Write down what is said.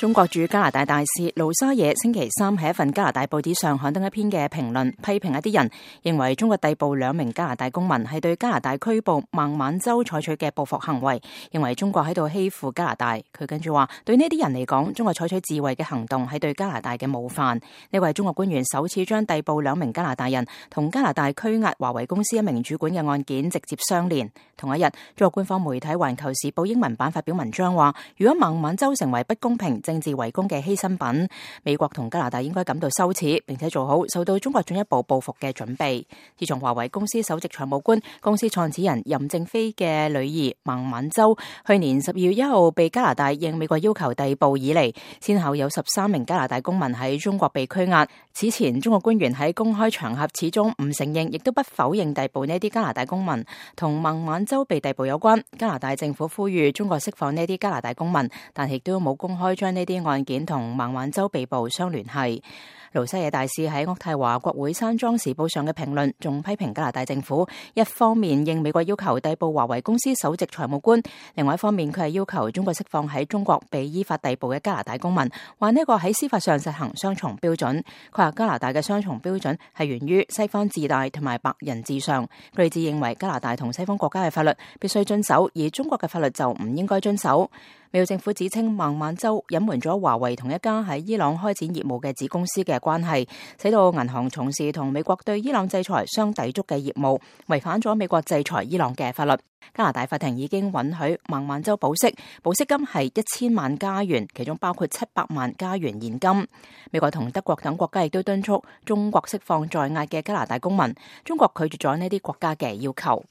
中國駐加拿大大使盧沙野星期三喺一份加拿大報紙上刊登一篇嘅評論，批評一啲人認為中國逮捕2名加拿大公民係對加拿大拘捕孟晚舟採取嘅報復行為，認為中國喺度欺負加拿大。佢跟住話，對呢啲人嚟講，中國採取自衛嘅行動係對加拿大嘅冒犯。呢位中國官員首次將逮捕2名加拿大人同加拿大拘押華為公司1名主管嘅案件直接相連。同一日，中國官方媒體《環球時報》英文版發表文章話，如果孟晚舟成為不公平政治圍攻嘅犧牲品，美國同加拿大應該感到羞恥，並且做好受到中國進一步報復嘅準備。自從華為公司首席財務官、公司創始人任正非嘅女兒孟晚舟去年12月1號被加拿大應美國要求逮捕以嚟，先後有13名加拿大公民喺中國被拘押。此前，中國官員喺公開場合始終唔承認，亦都不否認逮捕呢啲加拿大公民同孟晚舟被逮捕有關。加拿大政府呼籲中國釋放呢啲加拿大公民，但亦都冇公開將呢啲案件同孟晚舟被捕相聯繫。盧沙野大使喺渥太華國會山莊時報上嘅評論，仲批評加拿大政府一方面應美國要求逮捕華為公司首席財務官，另外一方面佢係要求中國釋放喺中國被依法逮捕嘅加拿大公民，話呢個喺司法上實行雙重標準。佢話加拿大嘅雙重標準係源於西方自大同埋白人至上，佢哋只認為加拿大同西方國家嘅法律必須遵守，而中國嘅法律就唔應該遵守。美國政府指稱孟晚舟隱瞞咗華為同一家喺伊朗開展業務嘅子公司嘅關係，使到銀行從事同美國對伊朗制裁相抵觸嘅業務，違反咗美國制裁伊朗嘅法律。加拿大法庭已經允許孟晚舟保釋，保釋金係1000萬加元，其中包括700萬加元現金。美國同德國等國家亦都敦促中國釋放在押嘅加拿大公民，中國拒絕咗呢啲國家嘅要求。